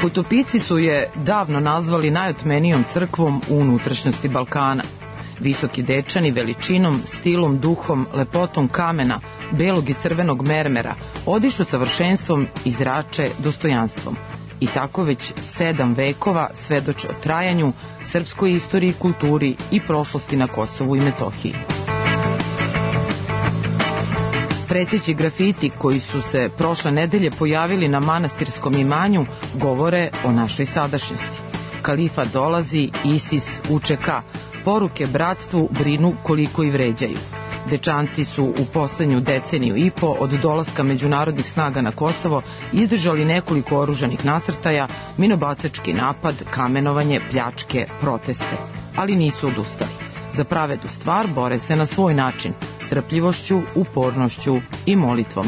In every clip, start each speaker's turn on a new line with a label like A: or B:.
A: Putopisci su je davno nazvali najotmenijom crkvom u unutrašnjosti Balkana. Visoki Dečani veličinom, stilom, duhom, lepotom kamena, belog i crvenog mermera odišu savršenstvom i zrače dostojanstvom. I tako već 7 vekova svedoče o trajanju, srpskoj istoriji, kulturi i prošlosti na Kosovu i Metohiji. Preteći grafiti koji su se prošle nedelje pojavili na manastirskom imanju govore o našoj sadašnjosti. Kalifa dolazi, ISIS, UČK, poruke bratstvu brinu koliko i vređaju. Dečanci su u poslednju deceniju i po od dolaska međunarodnih snaga na Kosovo izdržali nekoliko oružanih nasrtaja, minobacački napad, kamenovanje, pljačke, proteste. Ali nisu odustali. Za pravednu stvar bore se na svoj način, strpljivošću, upornošću i molitvom,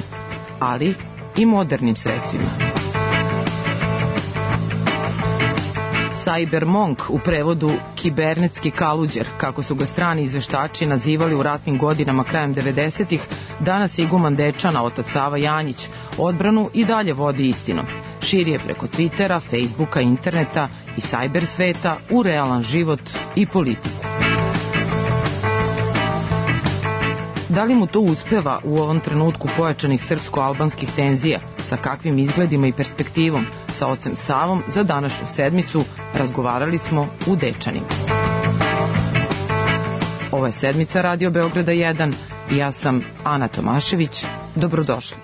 A: ali i modernim sredstvima. Cybermonk, u prevodu kibernetski kaluđer, kako su ga strani izveštači nazivali u ratnim godinama krajem 90-ih, danas je iguman Dečana, otac Sava Janjić, odbranu i dalje vodi istinom. Širi je preko Twittera, Facebooka, interneta i cyber sveta u realan život i politiku. Da li mu to uspeva u ovom trenutku pojačanih srpsko-albanskih tenzija, sa kakvim izgledima i perspektivom, sa ocem Savom za današnju sedmicu razgovarali smo u Dečanima. Ovo je sedmica Radio Beograda 1 i ja sam Ana Tomašević. Dobrodošli.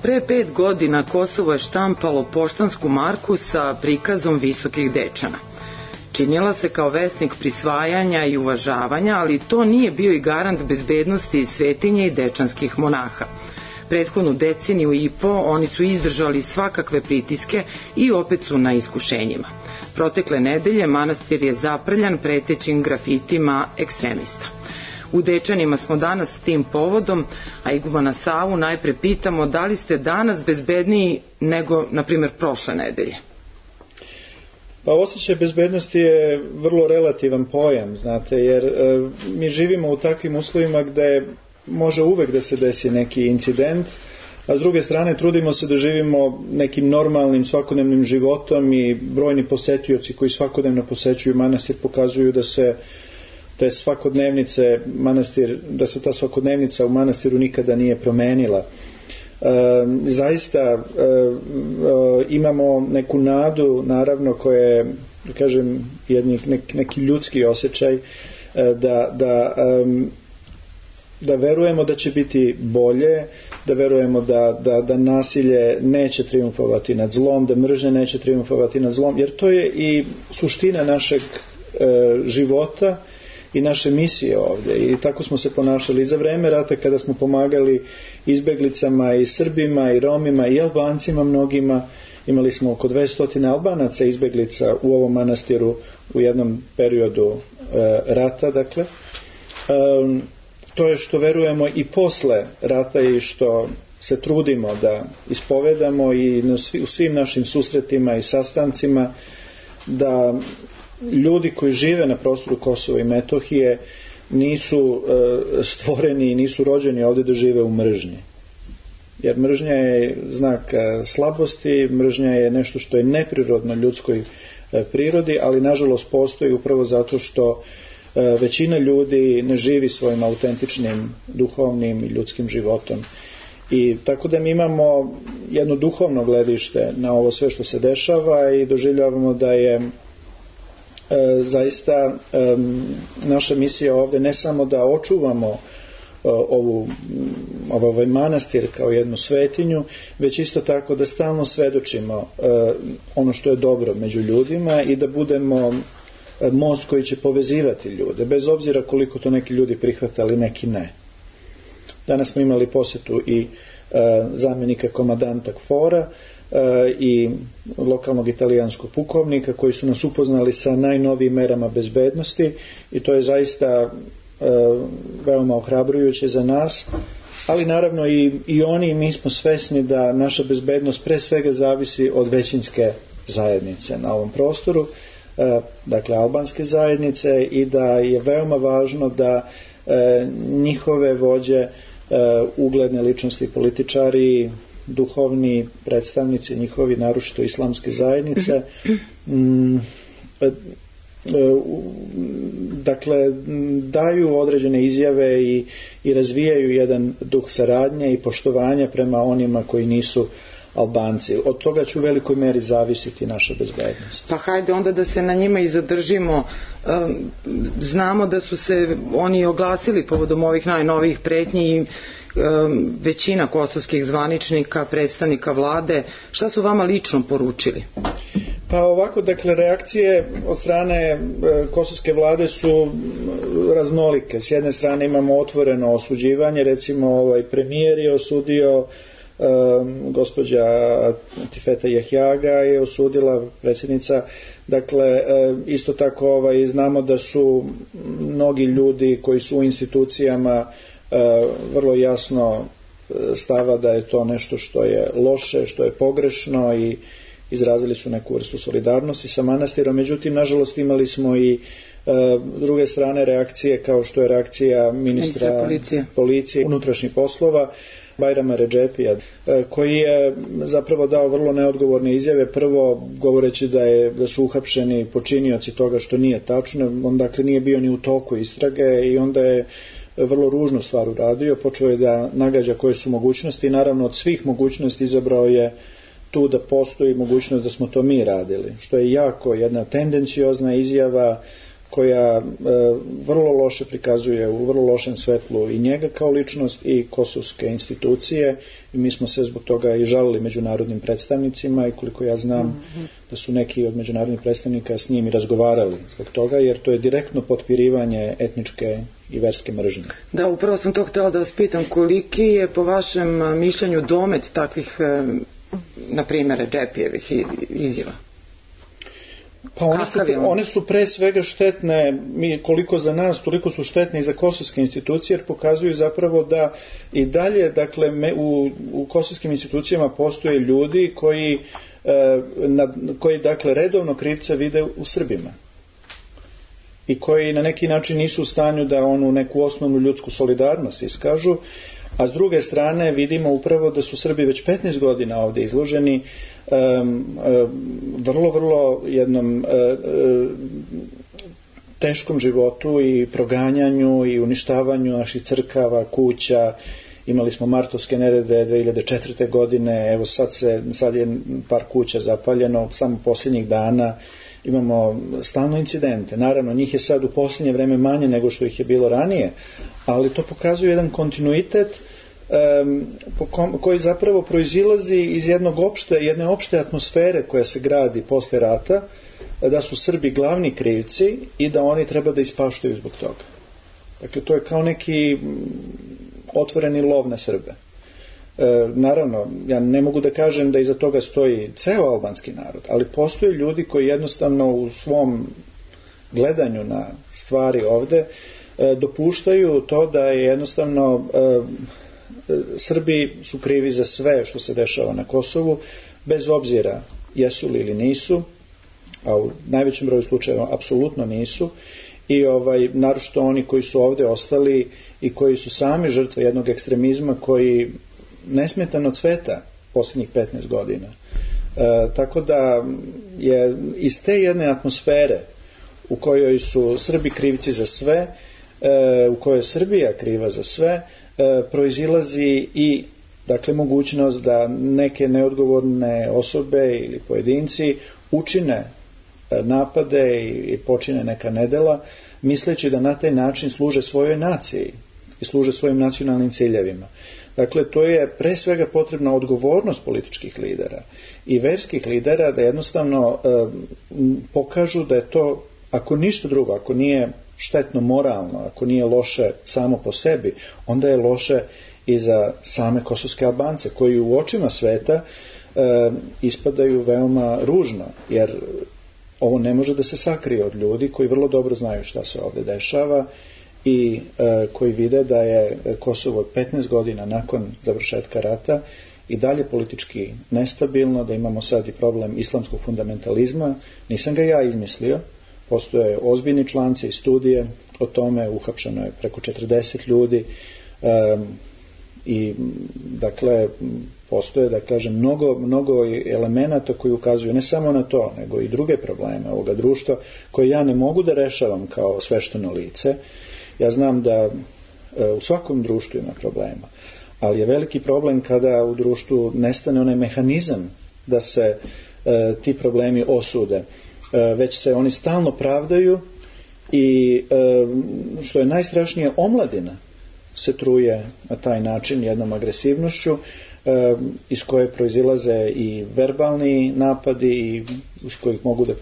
A: Pre 5 godina Kosovo je štampalo poštansku marku sa prikazom Visokih Dečana. Činila se kao vesnik prisvajanja i uvažavanja, ali to nije bio i garant bezbednosti svetinje i dečanskih monaha. Prethodnu deceniju i po oni su izdržali svakakve pritiske i opet su na iskušenjima. Protekle nedelje manastir je zaprljan pretećim grafitima ekstremista. U Dečanima smo danas s tim povodom, a igumana Savu najpre pitamo da li ste danas bezbedniji nego, na primjer, prošle nedelje?
B: Pa osjećaj bezbednosti je vrlo relativan pojam, znate, jer mi živimo u takvim uslovima gde može uvek da se desi neki incident, a s druge strane trudimo se da živimo nekim normalnim svakodnevnim životom i brojni posetioci koji svakodnevno posećuju manastir pokazuju da se te svakodnevnice manastir, da se ta svakodnevnica u manastiru nikada nije promenila. Zaista imamo neku nadu, naravno, koja je, da kažem, neki ljudski osjećaj da verujemo da će biti bolje, da verujemo da nasilje neće triumfovati nad zlom, da mržnja neće triumfovati nad zlom, jer to je i suština našeg života i naše misije ovdje. I tako smo se ponašali i za vreme rata, kada smo pomagali izbeglicama i Srbima i Romima i Albancima mnogima. Imali smo oko 200 Albanaca izbeglica u ovom manastiru u jednom periodu rata, dakle. To je što verujemo i posle rata i što se trudimo da ispovedamo i u svim našim susretima i sastancima, da ljudi koji žive na prostoru Kosova i Metohije nisu stvoreni i nisu rođeni ovdje da žive u mržnji. Jer mržnja je znak slabosti, mržnja je nešto što je neprirodno ljudskoj prirodi, ali nažalost postoji upravo zato što većina ljudi ne živi svojim autentičnim duhovnim i ljudskim životom. I tako da mi imamo jedno duhovno gledište na ovo sve što se dešava i doživljavamo da je zaista naša misija ovdje ne samo da očuvamo ovaj manastir kao jednu svetinju, već isto tako da stalno svedočimo ono što je dobro među ljudima i da budemo most koji će povezivati ljude, bez obzira koliko to neki ljudi prihvatali, neki ne. Danas smo imali posjetu i zamjenika komandanta KFOR-a i lokalnog italijanskog pukovnika koji su nas upoznali sa najnovijim merama bezbednosti i to je zaista veoma ohrabrujuće za nas, ali naravno i oni i mi smo svesni da naša bezbednost pre svega zavisi od većinske zajednice na ovom prostoru, dakle albanske zajednice, i da je veoma važno da njihove vođe, ugledne ličnosti, političari, duhovni predstavnici njihovi, naročito islamske zajednice, dakle daju određene izjave i razvijaju jedan duh saradnje i poštovanja prema onima koji nisu Albanci. Od toga će u velikoj meri zavisiti naša bezbednost.
A: Pa hajde onda da se na njima i zadržimo. Znamo da su se oni oglasili povodom ovih najnovijih pretnji i većina kosovskih zvaničnika, predstavnika vlade. Šta su vama lično poručili?
B: Pa ovako, dakle, reakcije od strane kosovske vlade su raznolike. S jedne strane imamo otvoreno osuđivanje, recimo premijer je osudio, gospođa Tifeta Jahjaga je osudila, predsjednica. Dakle, isto tako znamo da su mnogi ljudi koji su u institucijama vrlo jasno stava da je to nešto što je loše, što je pogrešno, i izrazili su neku vrstu solidarnosti sa manastirom. Međutim, nažalost, imali smo i druge strane reakcije, kao što je reakcija ministra policije, unutrašnjih poslova, Bajrama Redžepija, koji je zapravo dao vrlo neodgovorne izjave. Prvo, govoreći da su uhapšeni počinioci toga, što nije tačno. On dakle nije bio ni u toku istrage i onda je vrlo ružnu stvar uradio. Počeo je da nagađa koje su mogućnosti i naravno od svih mogućnosti izabrao je tu da postoji mogućnost da smo to mi radili, što je jako jedna tendenciozna izjava koja vrlo loše prikazuje u vrlo lošem svetlu i njega kao ličnost i kosovske institucije, i mi smo se zbog toga i žalili međunarodnim predstavnicima, i koliko ja znam da su neki od međunarodnih predstavnika s njim i razgovarali zbog toga, jer to je direktno potpirivanje etničke i verske mržnje.
A: Da, upravo sam to htjela da vas pitam, koliki je po vašem mišljenju domet takvih, na primjer, Redžepijevih izjava?
B: Pa one su pre svega štetne, koliko za nas, toliko su štetne i za kosovske institucije, jer pokazuju zapravo da i dalje, dakle, u kosovskim institucijama postoje ljudi koji dakle redovno krivca vide u Srbima i koji na neki način nisu u stanju da onu neku osnovnu ljudsku solidarnost iskažu, a s druge strane vidimo upravo da su Srbi već 15 godina ovdje izloženi vrlo jednom teškom životu i proganjanju i uništavanju naših crkava, kuća. Imali smo martovske nerede 2004. godine, evo sad je par kuća zapaljeno, samo posljednjih dana imamo stalno incidente. Naravno, njih je sad u posljednje vreme manje nego što ih je bilo ranije, ali to pokazuje jedan kontinuitet koji zapravo proizilazi iz jedne opšte atmosfere koja se gradi posle rata, da su Srbi glavni krivci i da oni treba da ispaštaju zbog toga. Dakle, to je kao neki otvoreni lov na Srbe. Naravno, ja ne mogu da kažem da iza toga stoji ceo albanski narod, ali postoje ljudi koji jednostavno u svom gledanju na stvari ovde dopuštaju to da je jednostavno Srbi su krivi za sve što se dešava na Kosovu, bez obzira jesu li ili nisu, a u najvećem broju slučajeva apsolutno nisu, i naročito oni koji su ovde ostali i koji su sami žrtve jednog ekstremizma koji nesmetano cveta posljednjih 15 godina. Tako da je iz te jedne atmosfere u kojoj su Srbi krivci za sve, u kojoj je Srbija kriva za sve, proizilazi i dakle mogućnost da neke neodgovorne osobe ili pojedinci učine napade i počine neka nedela, misleći da na taj način služe svojoj naciji i služe svojim nacionalnim ciljevima. Dakle, to je pre svega potrebna odgovornost političkih lidera i verskih lidera da jednostavno pokažu da je to, ako ništa drugo, ako nije štetno moralno, ako nije loše samo po sebi, onda je loše i za same kosovske Albance, koji u očima sveta ispadaju veoma ružno, jer ovo ne može da se sakrije od ljudi koji vrlo dobro znaju šta se ovdje dešava i koji vide da je Kosovo 15 godina nakon završetka rata i dalje politički nestabilno, da imamo sad i problem islamskog fundamentalizma. Nisam ga ja izmislio, postoje ozbiljni članci i studije o tome, uhapšeno je preko 40 ljudi i dakle postoje, da kažem, mnogo elemenata koji ukazuju ne samo na to, nego i druge probleme ovoga društva koje ja ne mogu da rešavam kao svešteno lice. Ja znam da u svakom društvu ima problema, ali je veliki problem kada u društvu nestane onaj mehanizam da se ti problemi osude, već se oni stalno pravdaju i što je najstrašnije, omladina se truje na taj način jednom agresivnošću iz koje proizilaze i verbalni napadi i iz kojih mogu da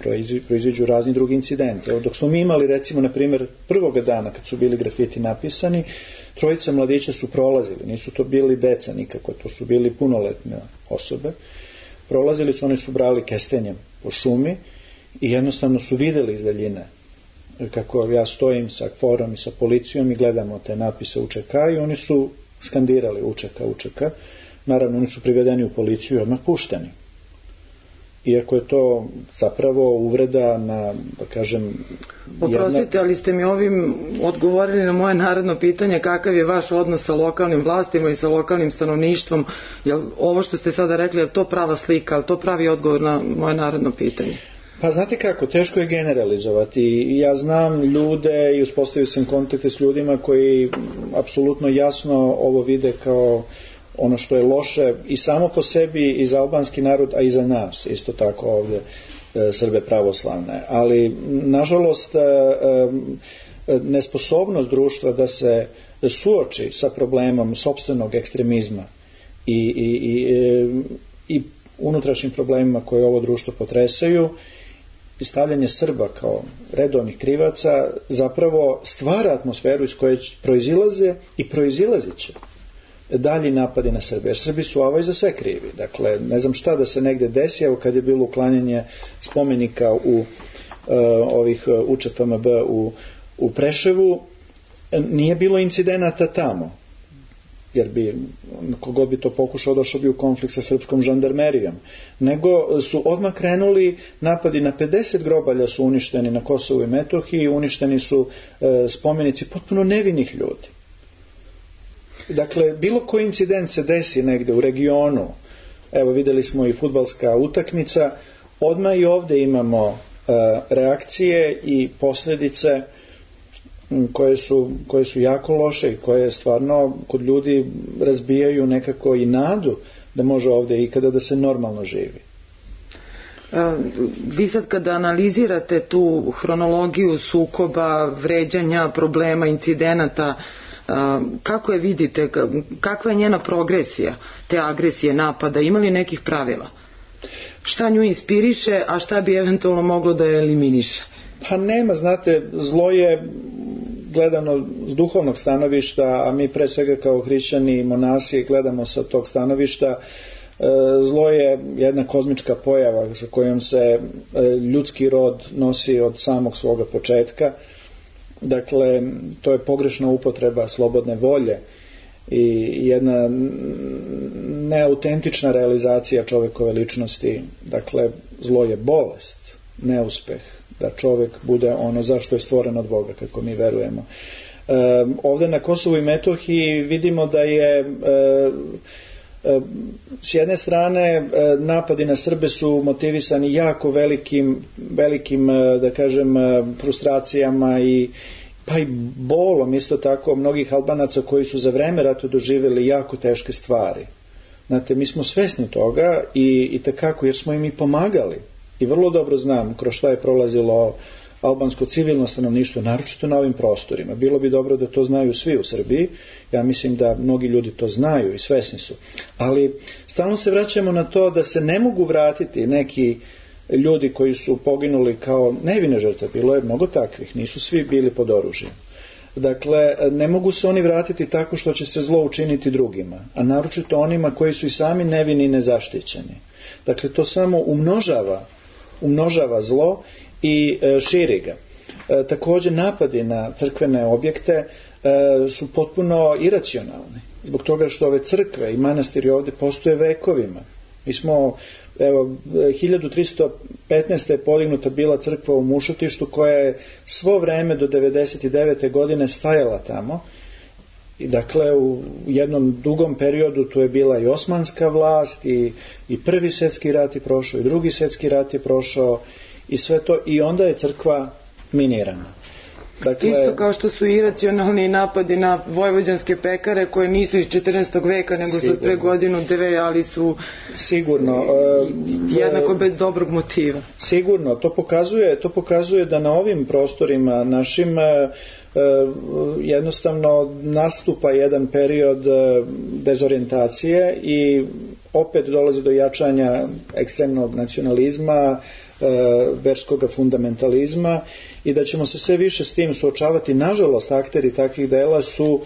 B: proiziđu razni drugi incidenti. Evo, dok smo mi imali, recimo, na primjer, prvoga dana kad su bili grafiti napisani, 3 mladića su prolazili, nisu to bili deca nikako, to su bili punoletne osobe. Prolazili su, oni su brali kestenjem po šumi i jednostavno su videli iz daljine kako ja stojim sa KFOR-om i sa policijom i gledamo te napise UČK i oni su skandirali UČK. Naravno, oni su privedeni u policiju i odmah pušteni. Iako je to zapravo uvreda na, da kažem...
A: Oprostite, ali ste mi ovim odgovorili na moje naredno pitanje, kakav je vaš odnos sa lokalnim vlastima i sa lokalnim stanovništvom. Jel ovo što ste sada rekli, je to prava slika, ali to pravi odgovor na moje naredno pitanje?
B: Pa znate kako, teško je generalizovati. Ja znam ljude i uspostavio sam kontakte s ljudima koji apsolutno jasno ovo vide kao ono što je loše i samo po sebi i za albanski narod, a i za nas, isto tako ovdje Srbe pravoslavne. Ali, nažalost, nesposobnost društva da se suoči sa problemom sopstvenog ekstremizma i unutrašnjim problemima koje ovo društvo potresaju, i stavljanje Srba kao redovnih krivaca zapravo stvara atmosferu iz koje proizilaze i proizilazit će dalji napadi na Srbe, jer Srbi su za sve krivi. Dakle, ne znam šta da se negde desi, evo kad je bilo uklanjanje spomenika u ovih UČPMB u Preševu, nije bilo incidenata tamo, jer bi, kogod bi to pokušao, došao bi u konflikt sa srpskom žandarmerijom, nego su odmah krenuli napadi na 50 grobalja su uništeni na Kosovu i Metohiji, uništeni su spomenici potpuno nevinih ljudi. Dakle, bilo koji incident se desi negde u regionu, evo videli smo i fudbalska utakmica, odmah i ovde imamo reakcije i posljedice koje su jako loše i koje stvarno kod ljudi razbijaju nekako i nadu da može ovdje ikada da se normalno živi.
A: Vi sad kada analizirate tu hronologiju sukoba, vređanja, problema, incidenata, kako je vidite, kakva je njena progresija, te agresije, napada, ima li nekih pravila? Šta nju inspiriše, a šta bi eventualno moglo da je eliminiše?
B: Pa nema, znate, zlo je gledano s duhovnog stanovišta, a mi pre svega kao hrišćani i monasi gledamo sa tog stanovišta. Zlo je jedna kozmička pojava sa kojom se ljudski rod nosi od samog svoga početka. Dakle, to je pogrešna upotreba slobodne volje i jedna neautentična realizacija čovjekove ličnosti. Dakle, zlo je bolest, neuspeh, da čovjek bude ono zašto je stvoren od Boga, kako mi verujemo. Ovdje na Kosovu i Metohiji vidimo da je s jedne strane napadi na Srbe su motivisani jako velikim da kažem frustracijama pa i bolom isto tako mnogih Albanaca koji su za vreme rata doživjeli jako teške stvari. Znate, mi smo svesni toga i tekako jer smo im i pomagali i vrlo dobro znam kroz šta je prolazilo albansko civilno stanovništvo, naročito na ovim prostorima. Bilo bi dobro da to znaju svi u Srbiji. Ja mislim da mnogi ljudi to znaju i svesni su. Ali stalno se vraćamo na to da se ne mogu vratiti neki ljudi koji su poginuli kao nevine žrtve. Bilo je mnogo takvih, nisu svi bili pod oružjem. Dakle, ne mogu se oni vratiti tako što će se zlo učiniti drugima, a naročito onima koji su i sami nevini i nezaštićeni. Dakle, to samo umnožava zlo i širi ga. Također napadi na crkvene objekte su potpuno iracionalni. Zbog toga što ove crkve i manastiri ovdje postoje vekovima. Mi smo, 1315. je podignuta bila crkva u Mušotištu koja je svo vreme do 99. godine stajala tamo. I dakle u jednom dugom periodu tu je bila i osmanska vlast i prvi svjetski rat je prošao i drugi svjetski rat je prošao i sve to i onda je crkva minirana. Dakle,
A: isto kao što su iracionalni napadi na vojvođanske pekare koje nisu iz 14. veka nego su pre godinu dve, ali su
B: sigurno
A: jednako bez dobrog motiva.
B: Sigurno, to pokazuje da na ovim prostorima našim jednostavno nastupa jedan period dezorijentacije i opet dolazi do jačanja ekstremnog nacionalizma, verskog fundamentalizma i da ćemo se sve više s tim suočavati. Nažalost, akteri takvih dela su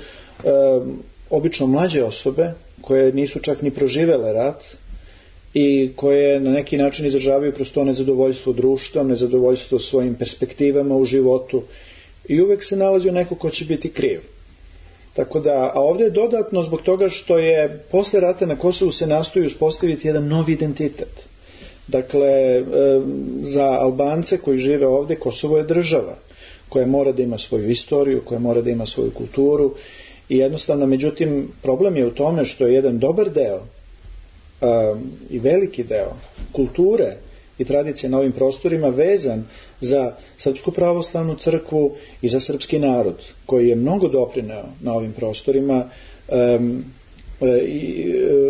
B: obično mlađe osobe koje nisu čak ni proživele rat i koje na neki način izražavaju kroz to nezadovoljstvo društvom, nezadovoljstvo svojim perspektivama u životu i uvijek se nalazi neko ko će biti kriv. Tako da, a ovdje je dodatno zbog toga što je posle rata na Kosovu se nastoji uspostaviti jedan novi identitet. Dakle, za Albance koji žive ovdje, Kosovo je država koja mora da ima svoju istoriju, koja mora da ima svoju kulturu i jednostavno, međutim, problem je u tome što je jedan dobar deo i veliki deo kulture i tradicije na ovim prostorima vezan za Srpsku pravoslavnu crkvu i za srpski narod koji je mnogo doprineo na ovim prostorima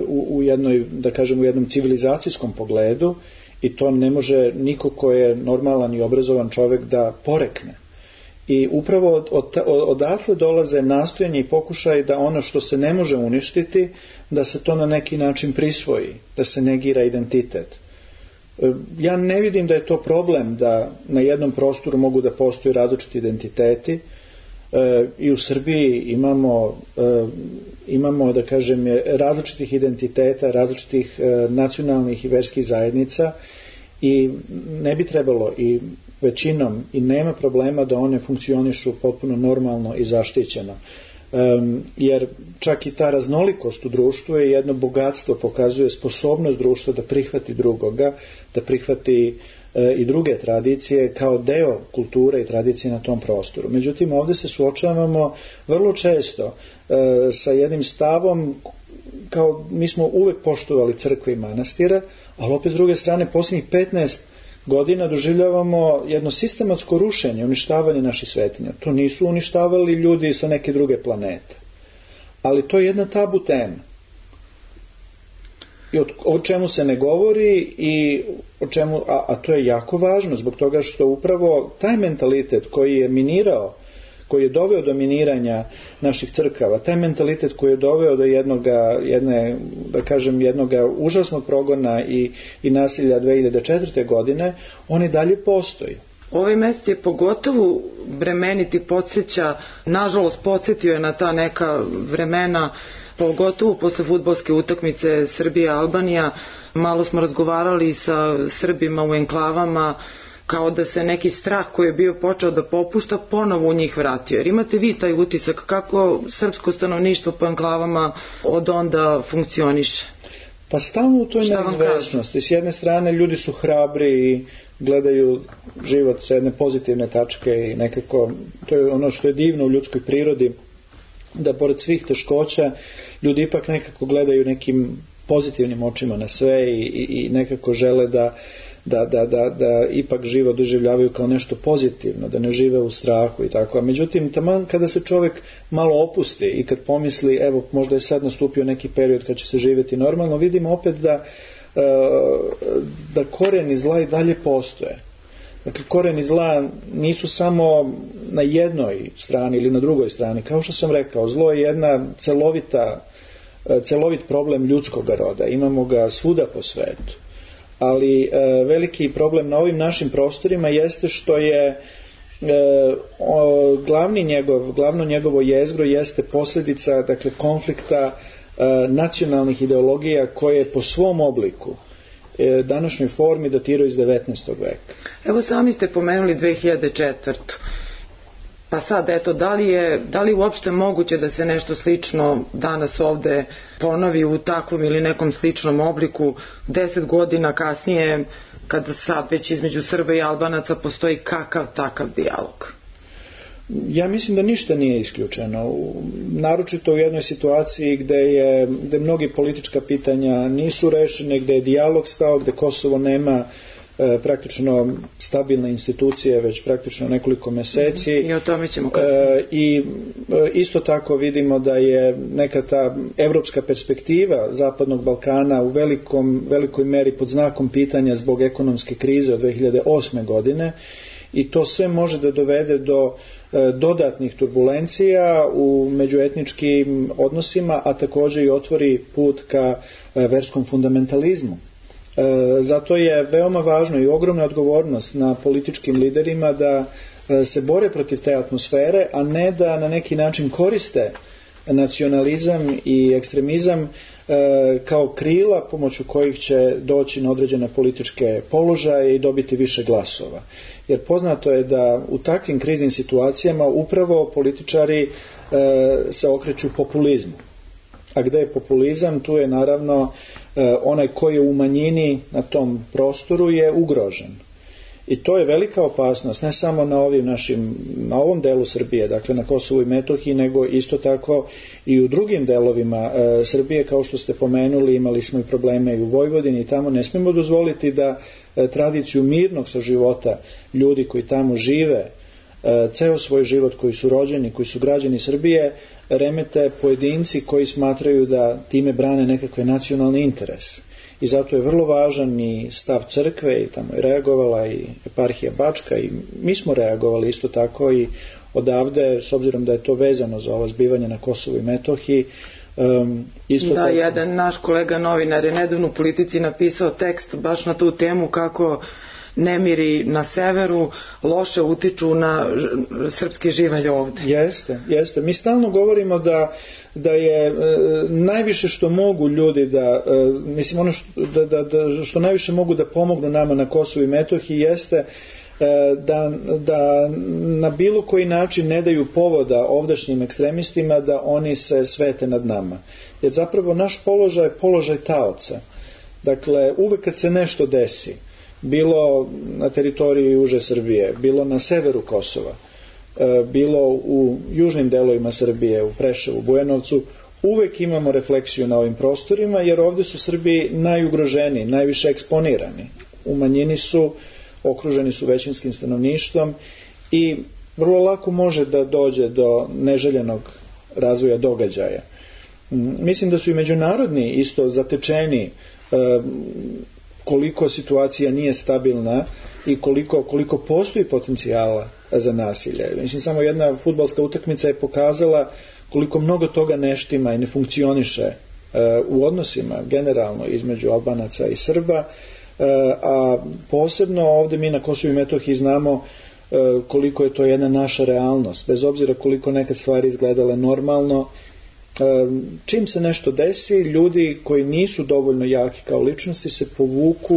B: u jednoj, da kažem, u jednom civilizacijskom pogledu i to ne može niko ko je normalan i obrazovan čovjek da porekne. I upravo odatle dolaze nastojanje i pokušaj da ono što se ne može uništiti, da se to na neki način prisvoji, da se negira identitet. Ja ne vidim da je to problem da na jednom prostoru mogu da postoje različiti identiteti. I u Srbiji imamo da kažem različitih identiteta, različitih nacionalnih i verskih zajednica i ne bi trebalo i većinom i nema problema da one funkcionišu potpuno normalno i zaštićeno. Jer čak i ta raznolikost u društvu je jedno bogatstvo, pokazuje sposobnost društva da prihvati drugoga, da prihvati i druge tradicije kao deo kulture i tradicije na tom prostoru. Međutim, ovdje se suočavamo vrlo često sa jednim stavom kao mi smo uvek poštovali crkve i manastire, ali opet s druge strane posljednjih 15 godina doživljavamo jedno sistematsko rušenje, uništavanje naših svetinja. To nisu uništavali ljudi sa neke druge planete. Ali to je jedna tabu tema. I o čemu se ne govori i o čemu, a to je jako važno zbog toga što upravo taj mentalitet koji je minirao, koji je doveo do miniranja naših crkava, taj mentalitet koji je doveo do jednog užasnog progona i nasilja 2004. godine, on i dalje postoji.
A: Ovaj mesec je pogotovo bremeniti, podsjeća, nažalost podsjetio je na ta neka vremena, pogotovo posle fudbalske utakmice Srbija-Albanija. Malo smo razgovarali sa Srbima u enklavama, kao da se neki strah koji je bio počeo da popušta ponovo u njih vratio. Jer imate vi taj utisak kako srpsko stanovništvo po enklavama od onda funkcioniše?
B: Pa stalno u toj neizvesnosti. S jedne strane ljudi su hrabri i gledaju život sa jedne pozitivne tačke i nekako, to je ono što je divno u ljudskoj prirodi, da pored svih teškoća ljudi ipak nekako gledaju nekim pozitivnim očima na sve i nekako žele da ipak život doživljavaju kao nešto pozitivno, da ne žive u strahu i tako. A međutim, taman kada se čovjek malo opusti i kad pomisli, evo, možda je sad nastupio neki period kad će se živjeti normalno, vidimo opet da koreni zla i dalje postoje. Dakle, koreni zla nisu samo na jednoj strani ili na drugoj strani. Kao što sam rekao, zlo je jedna celovit problem ljudskog roda. Imamo ga svuda po svetu. Ali veliki problem na ovim našim prostorima jeste što je glavno njegovo jezgro jeste posljedica, dakle, konflikta nacionalnih ideologija koje po svom obliku današnjoj formi datiraju iz 19. veka.
A: Evo, sami ste pomenuli 2004. Pa sad, eto, da li je uopšte moguće da se nešto slično danas ovde ponovi u takvom ili nekom sličnom obliku 10 godina kasnije, kada sad već između Srba i Albanaca postoji kakav takav dijalog?
B: Ja mislim da ništa nije isključeno, naročito u jednoj situaciji gde mnogi politička pitanja nisu rešene, gde je dijalog stao, gde Kosovo nema praktično stabilne institucije već praktično nekoliko meseci.
A: I o tome ćemo kasnije.
B: I isto tako vidimo da je neka ta evropska perspektiva Zapadnog Balkana u velikoj meri pod znakom pitanja zbog ekonomske krize od 2008. godine i to sve može da dovede do dodatnih turbulencija u međuetničkim odnosima, a također i otvori put ka verskom fundamentalizmu. Zato je veoma važno i ogromna odgovornost na političkim liderima da se bore protiv te atmosfere, a ne da na neki način koriste nacionalizam i ekstremizam kao krila pomoću kojih će doći na određene političke položaje i dobiti više glasova. Jer poznato je da u takvim kriznim situacijama upravo političari se okreću populizmu. A gde je populizam, tu je naravno onaj koji je u manjini na tom prostoru je ugrožen. I to je velika opasnost, ne samo na ovom delu Srbije, dakle na Kosovu i Metohiji, nego isto tako i u drugim delovima Srbije, kao što ste pomenuli, imali smo i probleme i u Vojvodini i tamo. Ne smijemo dozvoliti da tradiciju mirnog saživota ljudi koji tamo žive ceo svoj život, koji su rođeni, koji su građani Srbije, remete pojedinci koji smatraju da time brane nekakve nacionalne interese. I zato je vrlo važan i stav crkve, i tamo je reagovala i eparhija Bačka i mi smo reagovali isto tako i odavde, s obzirom da je to vezano za ovo zbivanje na Kosovu i Metohiji.
A: Jedan naš kolega novinar je nedavno u Politici napisao tekst baš na tu temu kako nemiri na severu loše utiču na srpski živalj ovde.
B: Jeste. Mi stalno govorimo da je najviše što mogu ljudi što najviše mogu da pomognu nama na Kosovu i Metohiji jeste da na bilo koji način ne daju povoda ovdašnjim ekstremistima da oni se svete nad nama. Jer zapravo naš položaj je položaj taoca. Dakle, uvek kad se nešto desi, bilo na teritoriji juže Srbije, bilo na severu Kosova, bilo u južnim delovima Srbije, u Preševu, Bujanovcu, uvek imamo refleksiju na ovim prostorima, jer ovdje su Srbi najugroženiji, najviše eksponirani. U manjini su okruženi su većinskim stanovništvom i vrlo lako može da dođe do neželjenog razvoja događaja. Mislim da su i međunarodni isto zatečeni koliko situacija nije stabilna i koliko postoji potencijala za nasilje. Mislim, samo jedna fudbalska utakmica je pokazala koliko mnogo toga ne štima i ne funkcioniše u odnosima generalno između Albanaca i Srba, a posebno ovdje mi na Kosovu i Metohiji znamo koliko je to jedna naša realnost, bez obzira koliko nekad stvari izgledale normalno. Čim se nešto desi, ljudi koji nisu dovoljno jaki kao ličnosti se povuku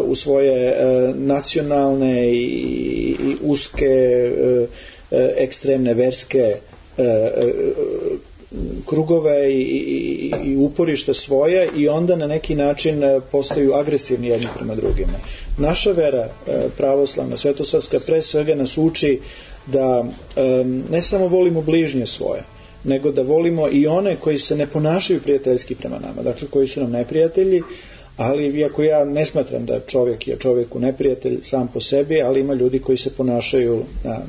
B: u svoje nacionalne i uske ekstremne verske krugove i uporišta svoje i onda na neki način postaju agresivni jedni prema drugima. Naša vera pravoslavna, svetosavska, pre svega nas uči da ne samo volimo bližnje svoje, nego da volimo i one koji se ne ponašaju prijateljski prema nama, dakle koji su nam neprijatelji, ali iako ja ne smatram da čovjek je čovjeku neprijatelj sam po sebi, ali ima ljudi koji se ponašaju na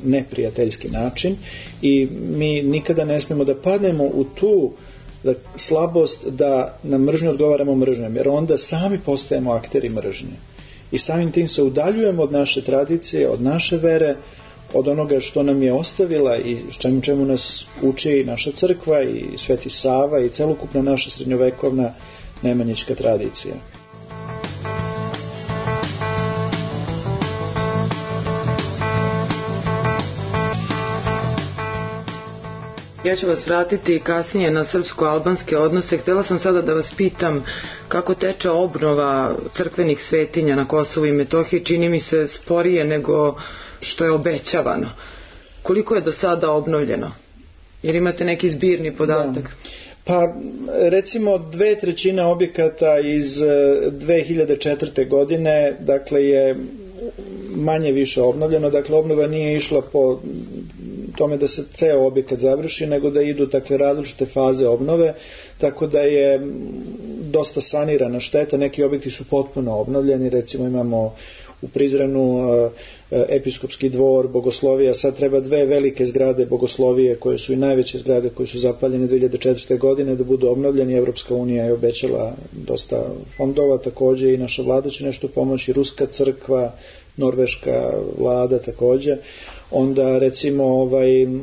B: neprijateljski način i mi nikada ne smijemo da padnemo u tu slabost da na mržnju odgovaramo mržnjom, jer onda sami postajemo akteri mržnje i samim tim se udaljujemo od naše tradicije, od naše vere, od onoga što nam je ostavila i čemu nas uči naša crkva i Sveti Sava i celokupna naša srednjovekovna nemanjička tradicija.
A: Ja ću vas vratiti kasnije na srpsko-albanske odnose. Htjela sam sada da vas pitam kako teče obnova crkvenih svetinja na Kosovu i Metohiji. Čini mi se sporije nego što je obećavano. Koliko je do sada obnovljeno? Jer imate neki zbirni podatak?
B: Da. Pa recimo 2/3 objekata iz 2004. godine dakle je manje više obnovljeno, dakle obnova nije išla po tome da se ceo objekat završi, nego da idu dakle različite faze obnove, tako da je dosta sanirana šteta, neki objekti su potpuno obnovljeni, recimo imamo u Prizrenu episkopski dvor, bogoslovija, sad treba 2 velike zgrade bogoslovije koje su i najveće zgrade koje su zapaljene 2004. godine da budu obnovljeni. Evropska unija je obećala dosta fondova, također i naša vlada će nešto pomoći, Ruska crkva, Norveška vlada također. Onda recimo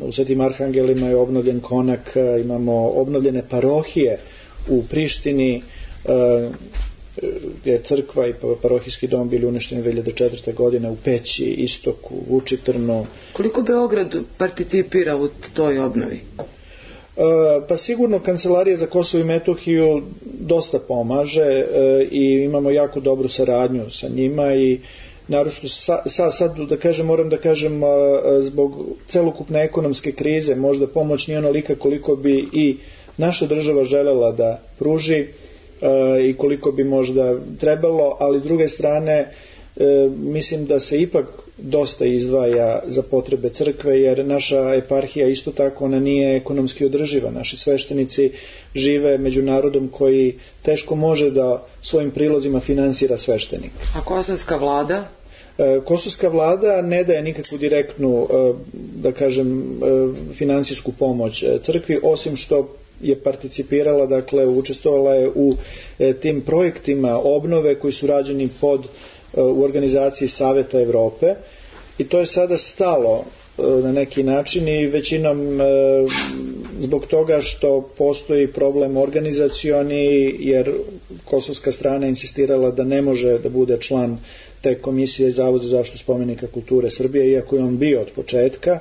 B: u Svetim Arhangelima je obnovljen konak, imamo obnovljene parohije u Prištini, gdje je crkva i parohijski dom bili uništeni 2004. godine, u Peći, Istoku, Vučitrnu. Koliko
A: Beograd participira u toj obnovi?
B: Pa sigurno Kancelarija za Kosovo i Metohiju dosta pomaže i imamo jako dobru saradnju sa njima i naročito sad da kažem, moram da kažem zbog celokupne ekonomske krize možda pomoć nije onolika koliko bi i naša država želela da pruži i koliko bi možda trebalo, ali s druge strane mislim da se ipak dosta izdvaja za potrebe crkve, jer naša eparhija isto tako ona nije ekonomski održiva. Naši sveštenici žive među narodom koji teško može da svojim prilozima finansira sveštenik.
A: A kosovska vlada?
B: Kosovska vlada ne daje nikakvu direktnu, da kažem, finansijsku pomoć crkvi, osim što je participirala, dakle učestvovala je u tim projektima obnove koji su rađeni u organizaciji Saveta Evrope i to je sada stalo na neki način i većinom zbog toga što postoji problem organizacioni, jer kosovska strana insistirala da ne može da bude član te komisije Zavod za zaštitu spomenika kulture Srbije, iako je on bio od početka.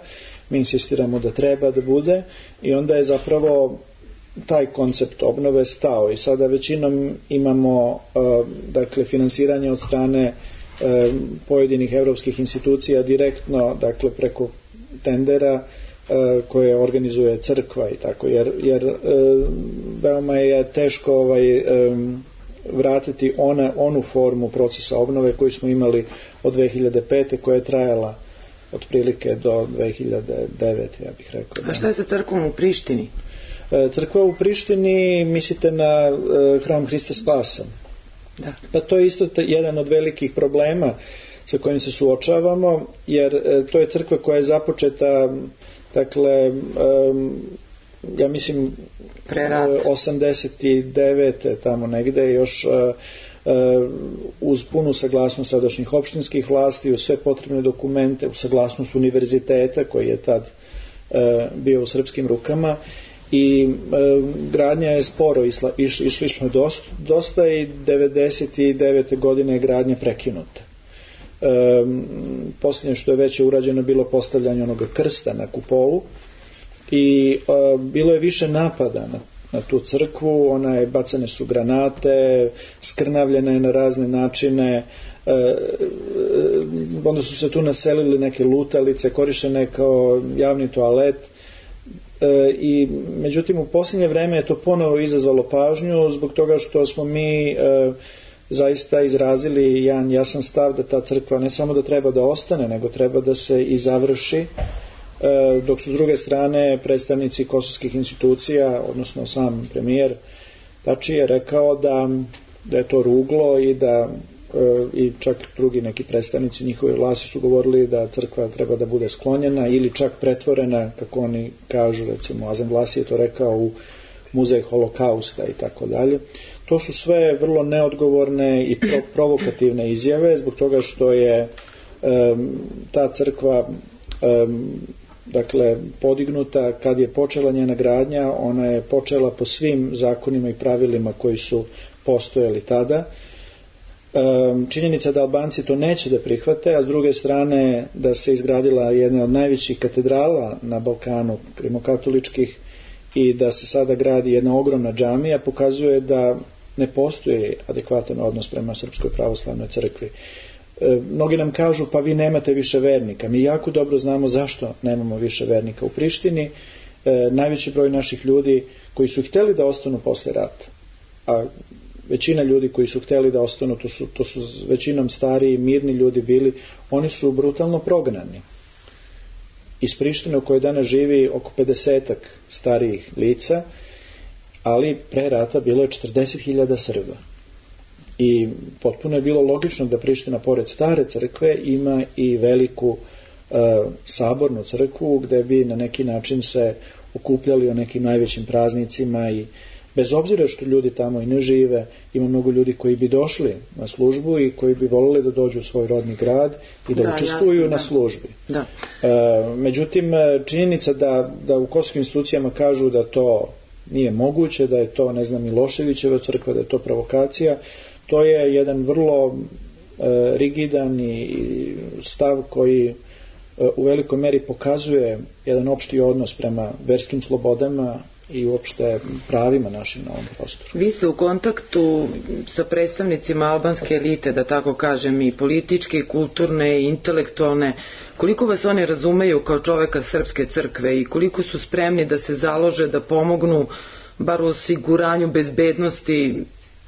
B: Mi insistiramo da treba da bude i onda je zapravo taj koncept obnove stao i sada većinom imamo dakle finansiranje od strane pojedinih evropskih institucija direktno, dakle preko tendera koje organizuje crkva i tako, jer veoma je teško vratiti onu formu procesa obnove koju smo imali od 2005. koja je trajala otprilike do 2009. ja bih rekao.
A: A šta je sa crkvom u Prištini?
B: Crkva u Prištini, mislite na hram Hrista Spasa?
A: Da.
B: Pa to je isto jedan od velikih problema sa kojim se suočavamo, jer to je crkva koja je započeta, dakle, ja mislim 89. tamo negde, još uz punu saglasnost sadašnjih opštinskih vlasti, uz sve potrebne dokumente, uz saglasnost univerziteta koji je tad bio u srpskim rukama, i gradnja je sporo išli smo dosta i 99. godine je gradnja prekinuta. Posljednje što je već urađeno bilo postavljanje onoga krsta na kupolu i bilo je više napada na tu crkvu, bacane su granate, skrnavljena je na razne načine, onda su se tu naselili neke lutalice, korištene kao javni toalet, i međutim u posljednje vreme je to ponovo izazvalo pažnju zbog toga što smo mi zaista izrazili jedan jasan stav da ta crkva ne samo da treba da ostane, nego treba da se i završi, dok su s druge strane predstavnici kosovskih institucija, odnosno sam premijer Tači je rekao da je to ruglo i čak drugi neki predstavnici njihove vlasti su govorili da crkva treba da bude sklonjena ili čak pretvorena, kako oni kažu, recimo Azem Vlasi je to rekao, u muzej holokausta i tako dalje. To su sve vrlo neodgovorne i provokativne izjave zbog toga što je ta crkva dakle podignuta kad je počela njena gradnja, ona je počela po svim zakonima i pravilima koji su postojali tada. Činjenica da Albanci to neće da prihvate, a s druge strane da se izgradila jedna od najvećih katedrala na Balkanu, rimokatoličkih, i da se sada gradi jedna ogromna džamija, pokazuje da ne postoji adekvatan odnos prema Srpskoj pravoslavnoj crkvi. Mnogi nam kažu pa vi nemate više vernika. Mi jako dobro znamo zašto nemamo više vernika u Prištini. Najveći broj naših ljudi koji su hteli da ostanu posle rata, a većina ljudi koji su hteli da ostanu, to su većinom stariji, mirni ljudi bili, oni su brutalno prognani. Iz Prištine u kojoj danas živi oko 50 starijih lica, ali pre rata bilo je 40.000 Srba. I potpuno je bilo logično da Priština pored stare crkve ima i veliku sabornu crkvu gde bi na neki način se okupljali o nekim najvećim praznicima, i bez obzira što ljudi tamo i ne žive, ima mnogo ljudi koji bi došli na službu i koji bi voleli da dođu u svoj rodni grad i da učestvuju na službi.
A: Da.
B: Međutim, činjenica da u kosovskim institucijama kažu da to nije moguće, da je to, ne znam, Miloševićeva crkva, da je to provokacija, to je jedan vrlo rigidan i stav koji u velikoj meri pokazuje jedan opšti odnos prema verskim slobodama i uopšte pravima našim na ovom prostoru.
A: Vi ste u kontaktu sa predstavnicima albanske elite, da tako kažem, i političke, i kulturne, i intelektualne. Koliko vas oni razumeju kao čoveka Srpske crkve i koliko su spremni da se založe, da pomognu bar u osiguranju bezbednosti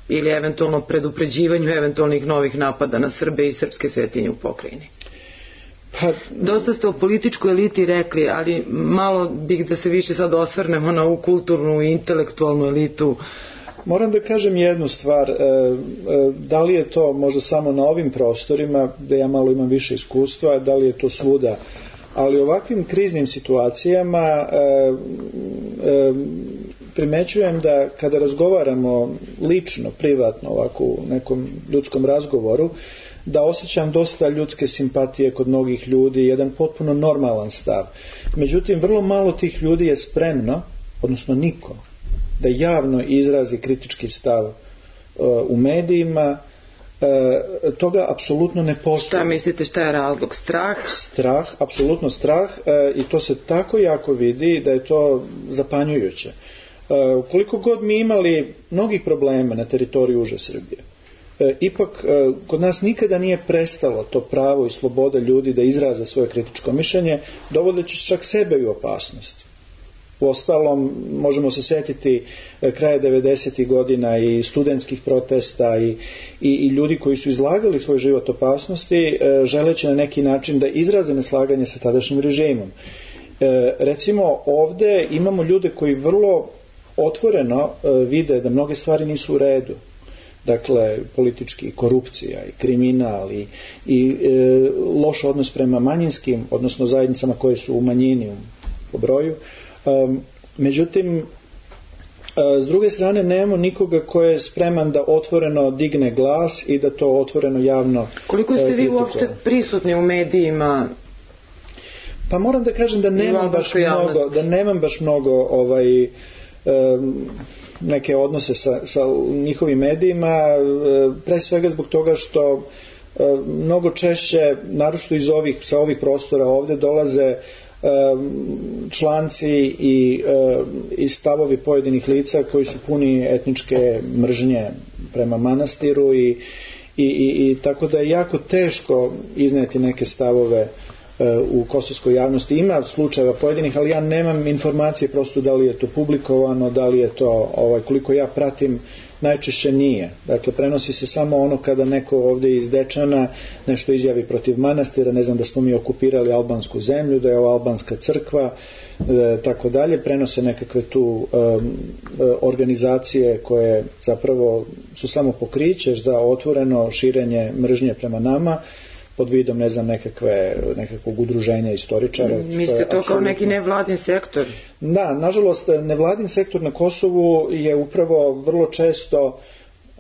A: ili eventualno predupređivanju eventualnih novih napada na Srbe i srpske svetinje u pokrajini? Dosta ste o političkoj eliti rekli, ali malo bih da se više sad osvrnemo na ovu kulturnu i intelektualnu elitu.
B: Moram da kažem jednu stvar, da li je to možda samo na ovim prostorima, gde ja malo imam više iskustva, da li je to svuda, ali u ovakvim kriznim situacijama primećujem da kada razgovaramo lično, privatno, ovako u nekom ljudskom razgovoru, da osjećam dosta ljudske simpatije kod mnogih ljudi, jedan potpuno normalan stav. Međutim, vrlo malo tih ljudi je spremno, odnosno niko, da javno izrazi kritički stav u medijima. Toga apsolutno ne postoji.
A: Šta mislite, šta je razlog? Strah?
B: Strah, apsolutno strah, i to se tako jako vidi da je to zapanjujuće. Ukoliko god mi imali mnogih problema na teritoriju uže Srbije, ipak kod nas nikada nije prestalo to pravo i sloboda ljudi da izraze svoje kritičko mišljenje, dovodeći čak sebe u opasnost. Uostalom, možemo se setiti kraja 90. godina i studentskih protesta i ljudi koji su izlagali svoj život opasnosti, želeći na neki način da izraze neslaganje sa tadašnjim režimom. Recimo, ovde imamo ljude koji vrlo otvoreno vide da mnoge stvari nisu u redu, dakle politički korupcija i kriminal i loš odnos prema manjinskim, odnosno zajednicama koje su u manjini po broju. Međutim, s druge strane nemamo nikoga ko je spreman da otvoreno digne glas i da to otvoreno javno
A: Koliko ste vi uopšte prisutni u medijima?
B: Pa moram da kažem da nemam baš mnogo neke odnose sa njihovim medijima, pre svega zbog toga što mnogo češće, naročito sa ovih prostora ovde, dolaze članci i stavovi pojedinih lica koji su puni etničke mržnje prema manastiru i tako da je jako teško izneti neke stavove u kosovskoj javnosti. Ima slučajeva pojedinih, ali ja nemam informacije prosto da li je to publikovano, da li je to, koliko ja pratim, najčešće nije. Dakle, prenosi se samo ono kada neko ovdje iz Dečana nešto izjavi protiv manastira, ne znam da smo mi okupirali albansku zemlju, da je ovo albanska crkva, tako dalje. Prenose nekakve tu organizacije koje zapravo su samo pokriće za otvoreno širenje mržnje prema nama, pod vidom, ne znam, nekakvog udruženja istoričara.
A: Mislite to kao neki nevladin sektor?
B: Da, nažalost, nevladin sektor na Kosovu je upravo vrlo često,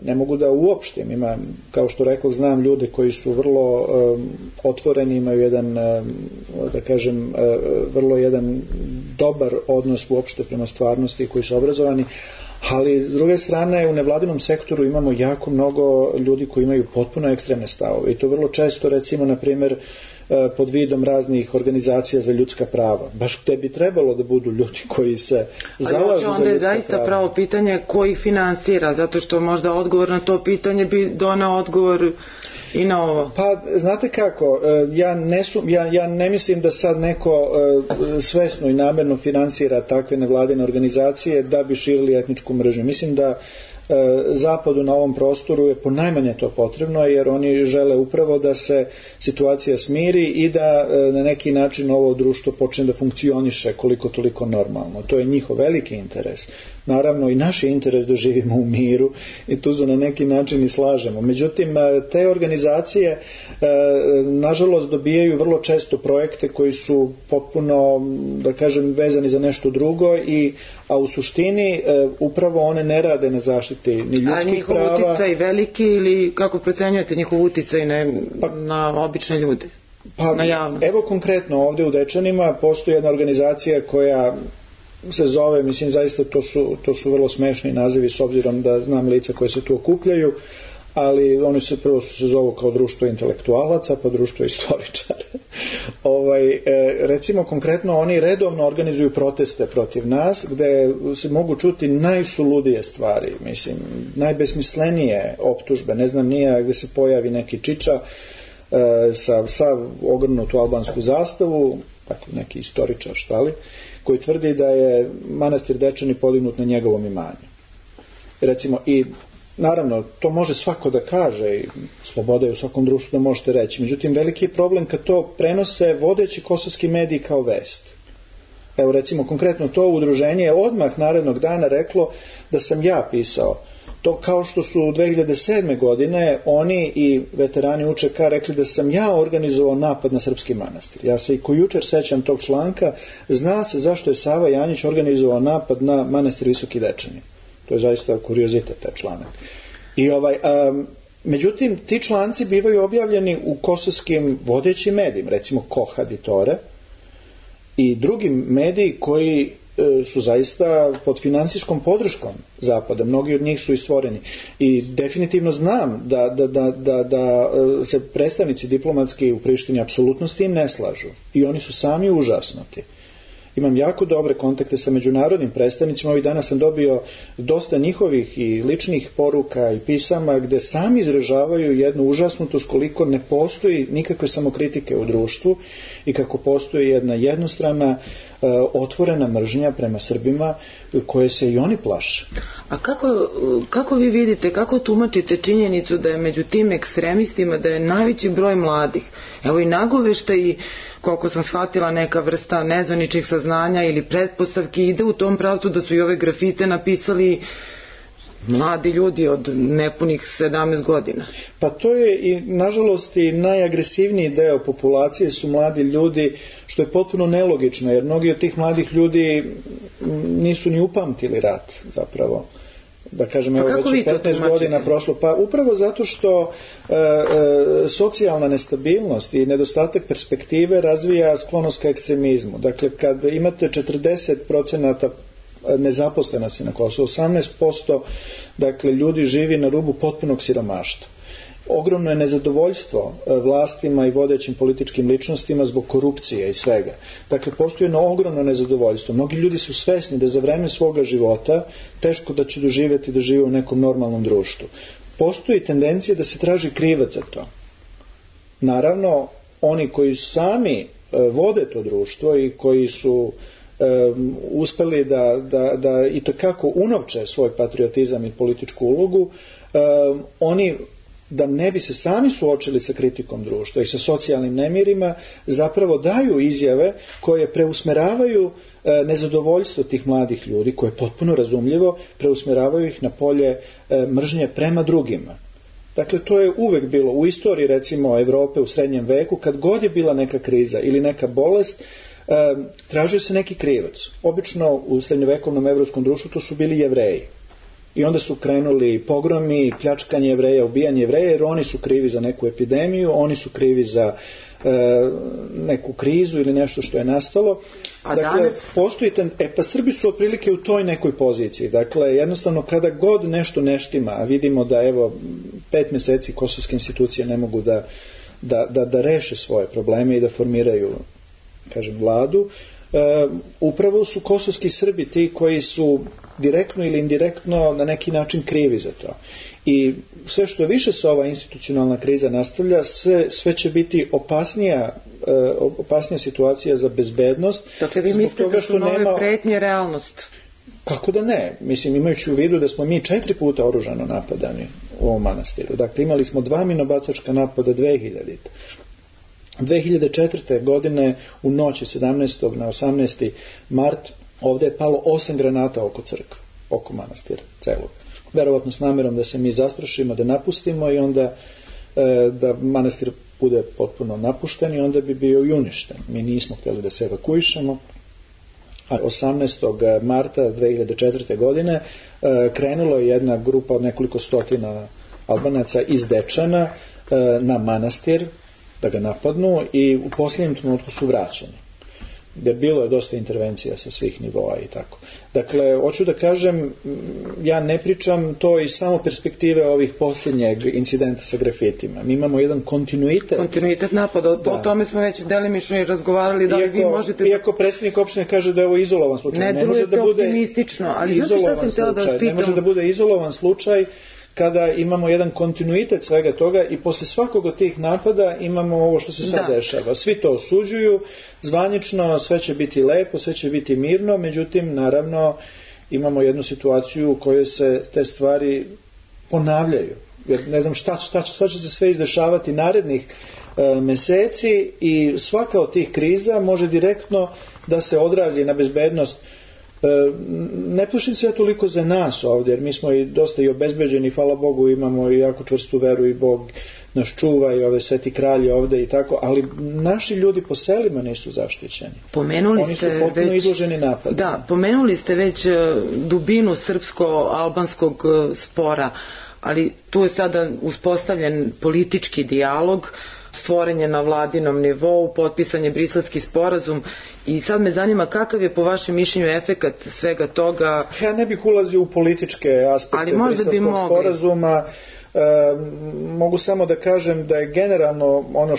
B: ne mogu da uopštim, ima, kao što rekoh, znam ljude koji su vrlo otvoreni, imaju jedan, da kažem, vrlo jedan dobar odnos uopšte prema stvarnosti, koji su obrazovani, ali s druge strane u nevladinom sektoru imamo jako mnogo ljudi koji imaju potpuno ekstremne stavove i to vrlo često, recimo, na primjer, pod vidom raznih organizacija za ljudska prava. Baš gde bi trebalo da budu ljudi koji se zalažu za ljudska prava.
A: Onda je zaista pravo pitanje ko ih finansira, zato što možda odgovor na to pitanje bi donao odgovor i na ovo.
B: Pa, znate kako, ja ne mislim da sad neko svesno i namerno finansira takve nevladine organizacije da bi širili etničku mržnju. Mislim da Zapadu na ovom prostoru je ponajmanje to potrebno, jer oni žele upravo da se situacija smiri i da na neki način ovo društvo počne da funkcioniše koliko toliko normalno. To je njihov veliki interes. Naravno i naš je interes da živimo u miru i tu se na neki način i slažemo. Međutim, te organizacije nažalost dobijaju vrlo često projekte koji su potpuno, da kažem, vezani za nešto drugo, a u suštini upravo one ne rade na zaštiti ni ljudskih prava.
A: A njihov uticaj veliki, ili kako procenjujete njihov uticaj na obične ljude? Na javnost?
B: Evo konkretno ovdje u Dečanima postoji jedna organizacija koja se zove, mislim zaista to su vrlo smešni nazivi s obzirom da znam lica koje se tu okupljaju, ali oni se prvo se zovu kao društvo intelektualaca, pa društvo istoričara. Recimo konkretno oni redovno organizuju proteste protiv nas, gde se mogu čuti najsuludije stvari, mislim, najbesmislenije optužbe, ne znam nija, gde se pojavi neki čiča sa ogrnutu albansku zastavu, dakle neki istoričar, koji tvrdi da je manastir Dečani podignut na njegovom imanju. Recimo, i naravno, to može svako da kaže i sloboda je u svakom društvu da možete reći. Međutim, veliki je problem kad to prenose vodeći kosovski mediji kao vest. Evo, recimo, konkretno to udruženje je odmah narednog dana reklo da sam ja pisao. To kao što su 2007. godine oni i veterani UČK rekli da sam ja organizovao napad na srpski manastir. Ja se i ko jučer sećam tog članka, zna se zašto je Sava Janjić organizovao napad na manastir Visoki Dečani. To je zaista kuriozitet, taj članak. Međutim, ti članci bivaju objavljeni u kosovskim vodećim medijima, recimo Kohad i Tore, i drugim mediji koji su zaista pod finansijskom podrškom Zapada. Mnogi od njih su i stvoreni. I definitivno znam da se predstavnici diplomatski u Prištini apsolutno s tim ne slažu. I oni su sami užasnuti. Imam jako dobre kontakte sa međunarodnim predstavnicima. Ovih dana sam dobio dosta njihovih i ličnih poruka i pisama gde sami izražavaju jednu užasnutost koliko ne postoji nikakve samokritike u društvu i kako postoji jedna jednostrana otvorena mržnja prema Srbima koje se i oni plaše.
A: A kako vi vidite, kako tumačite činjenicu da je među tim ekstremistima da je najveći broj mladih? Evo i Nagovešta i koliko sam shvatila neka vrsta nezvaničnih saznanja ili pretpostavki ide u tom pravcu da su i ove grafite napisali mladi ljudi od nepunih 17 godina.
B: Pa to je i nažalost i najagresivniji deo populacije su mladi ljudi, što je potpuno nelogično jer mnogi od tih mladih ljudi nisu ni upamtili rat zapravo. Da kažem, evo već 15 godina prošlo. Pa upravo zato što socijalna nestabilnost i nedostatak perspektive razvija sklonost ka ekstremizmu. Dakle, kad imate 40% nezaposlenosti na Kosovu, 18% dakle, ljudi živi na rubu potpunog siromaštva. Ogromno je nezadovoljstvo vlastima i vodećim političkim ličnostima zbog korupcije i svega. Dakle, postoji jedno ogromno nezadovoljstvo. Mnogi ljudi su svesni da za vreme svoga života teško da će doživjeti da žive u nekom normalnom društvu. Postoji tendencija da se traži krivac za to. Naravno, oni koji sami vode to društvo i koji su uspeli da i tekako unovče svoj patriotizam i političku ulogu, oni da ne bi se sami suočili sa kritikom društva i sa socijalnim nemirima, zapravo daju izjave koje preusmeravaju nezadovoljstvo tih mladih ljudi, koje je potpuno razumljivo, preusmeravaju ih na polje mržnje prema drugima. Dakle, to je uvek bilo u istoriji, recimo, Evrope u srednjem veku, kad god je bila neka kriza ili neka bolest, tražio se neki krivac. Obično u srednjovekovnom evropskom društvu to su bili Jevreji. I onda su krenuli pogromi, pljačkanje Jevreja, ubijanje Jevreja, jer oni su krivi za neku epidemiju, oni su krivi za neku krizu ili nešto što je nastalo. Dakle, postoji pa Srbi su otprilike u toj nekoj poziciji. Dakle, jednostavno kada god nešto ne štima, a vidimo da evo 5 meseci kosovske institucije ne mogu da reše svoje probleme i da formiraju, kažem, vladu, upravo su kosovski Srbi ti koji su direktno ili indirektno na neki način krivi za to. I sve što više se ova institucionalna kriza nastavlja, sve će biti opasnija situacija za bezbednost.
A: Dakle, vi mislite da su nove pretnje realnost?
B: Kako da ne? Mislim, imajući u vidu da smo mi 4 puta oružano napadani u ovom manastiru. Dakle, imali smo 2 minobacačka napada 2004. godine u noći 17. na 18. mart ovdje je palo 8 granata oko crkve, oko manastira celog. Verovatno s namjerom da se mi zastrašimo, da napustimo i onda da manastir bude potpuno napušten i onda bi bio i uništen. Mi nismo htjeli da se evakuišemo. 18. marta 2004. godine krenula je jedna grupa od nekoliko stotina Albanaca iz Dečana na manastir da ga napadnu i u posljednjem trenutku su vraćeni. Jer bilo je dosta intervencija sa svih nivoa i tako. Dakle, hoću da kažem, ja ne pričam to iz samo perspektive ovih posljednjeg incidenta sa grafitima. Mi imamo jedan kontinuitet.
A: Kontinuitet napada, o tome smo već delimično i razgovarali, da li vi možete...
B: Iako predsjednik opštine kaže da je ovo izolovan slučaj.
A: Ne delujete optimistično, ali znate šta sam htjela da vas pitam?
B: Ne može da bude izolovan slučaj kada imamo jedan kontinuitet svega toga i posle svakog od tih napada imamo ovo što se sad dešava. Svi to osuđuju, zvanično sve će biti lepo, sve će biti mirno, međutim, naravno, imamo jednu situaciju u kojoj se te stvari ponavljaju. Jer ne znam šta će se sve izdešavati narednih meseci i svaka od tih kriza može direktno da se odrazi na bezbednost. Ne plašim se ja toliko za nas ovdje, jer mi smo i dosta i obezbeđeni, hvala Bogu, imamo i jako čvrstu veru i Bog nas čuva i ove sveti kralje ovdje i tako, ali naši ljudi po selima nisu zaštićeni. Oni su potpuno izloženi napadu.
A: Da, pomenuli ste već dubinu srpsko-albanskog spora, ali tu je sada uspostavljen politički dijalog, stvoren je na vladinom nivou, potpisan je Briselski sporazum i sad me zanima kakav je po vašem mišljenju efekat svega toga.
B: Ja ne bih ulazio u političke aspekte Briselskog sporazuma. Mogu samo da kažem da je generalno ono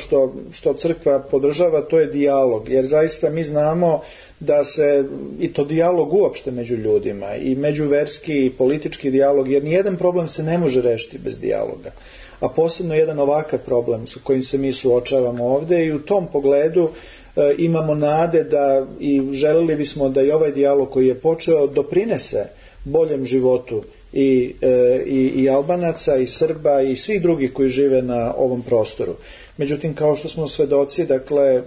B: što crkva podržava, to je dijalog, jer zaista mi znamo da se i to dijalog uopšte među ljudima i međuverski i politički dijalog, jer nijedan problem se ne može rešiti bez dijaloga, a posebno jedan ovakav problem sa kojim se mi suočavamo ovdje i u tom pogledu imamo nade da i želeli bismo da i ovaj dijalog koji je počeo doprinese boljem životu i Albanaca i Srba i svih drugih koji žive na ovom prostoru. Međutim, kao što smo svedoci, dakle,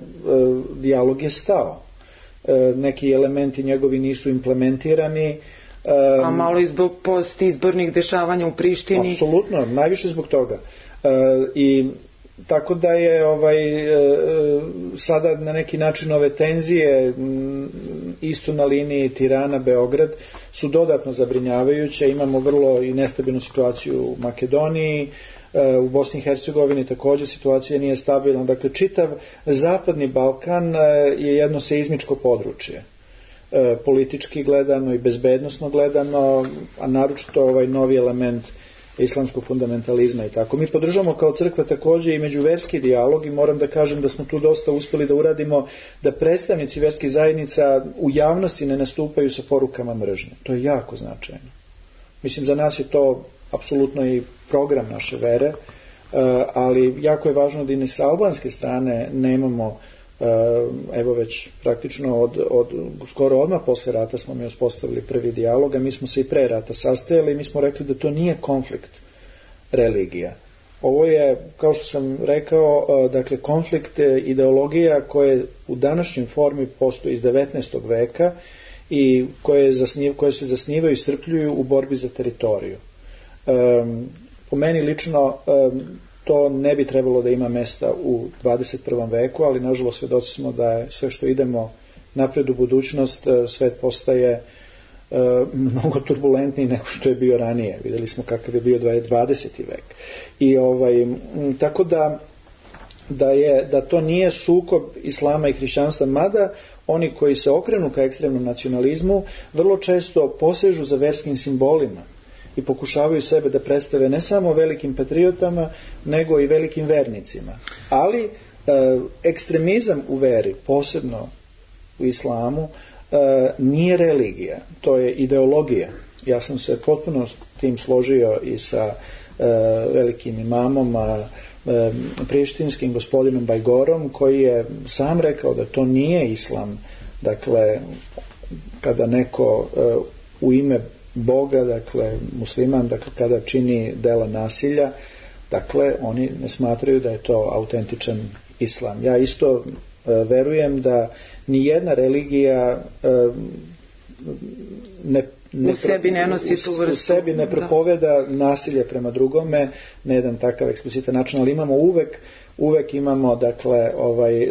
B: dijalog je stao. Neki elementi njegovi nisu implementirani,
A: A malo i zbog postizbornih dešavanja u Prištini?
B: Apsolutno, najviše zbog toga. I tako da je sada na neki način ove tenzije isto na liniji Tirana-Beograd su dodatno zabrinjavajuće. Imamo vrlo i nestabilnu situaciju u Makedoniji, u Bosni i Hercegovini također situacija nije stabilna. Dakle, čitav zapadni Balkan je jedno seizmičko područje. Politički gledano i bezbednosno gledano, a naročito ovaj novi element islamskog fundamentalizma i tako. Mi podržamo kao crkva također i međuverski dijalog i moram da kažem da smo tu dosta uspjeli da uradimo da predstavnici verskih zajednica u javnosti ne nastupaju sa porukama mržnje. To je jako značajno. Mislim, za nas je to apsolutno i program naše vere, ali jako je važno da i sa albanske strane nemamo, evo već praktično od skoro odmah posle rata smo mi uspostavili prvi dijalog, a mi smo se i pre rata sastajali i mi smo rekli da to nije konflikt religija. Ovo je, kao što sam rekao, dakle konflikt ideologija koje u današnjoj formi postoji iz 19. veka i koje se zasnivaju i iscrpljuju u borbi za teritoriju. Po meni lično to ne bi trebalo da ima mesta u 21. veku, ali nažalost svedoci smo da je sve što idemo napred u budućnost, svet postaje mnogo turbulentniji nego što je bio ranije. Vidjeli smo kakav je bio 20. vek. I tako da to nije sukob islama i hrišćanstva, mada oni koji se okrenu ka ekstremnom nacionalizmu vrlo često posežu za verskim simbolima i pokušavaju sebe da predstave ne samo velikim patriotama, nego i velikim vernicima. Ali ekstremizam u veri, posebno u islamu, nije religija, to je ideologija. Ja sam se potpuno s tim složio i sa velikim imamom, prištinskim gospodinom Bajgorom, koji je sam rekao da to nije islam. Dakle, kada neko u ime Boga, dakle musliman, dakle kada čini dela nasilja, dakle oni ne smatraju da je to autentičan islam. Ja isto verujem da ni jedna religija
A: u sebi ne nosi tu vrstu.
B: U sebi ne propoveda nasilje prema drugome na jedan takav eksplicitan način, ali imamo uvek imamo dakle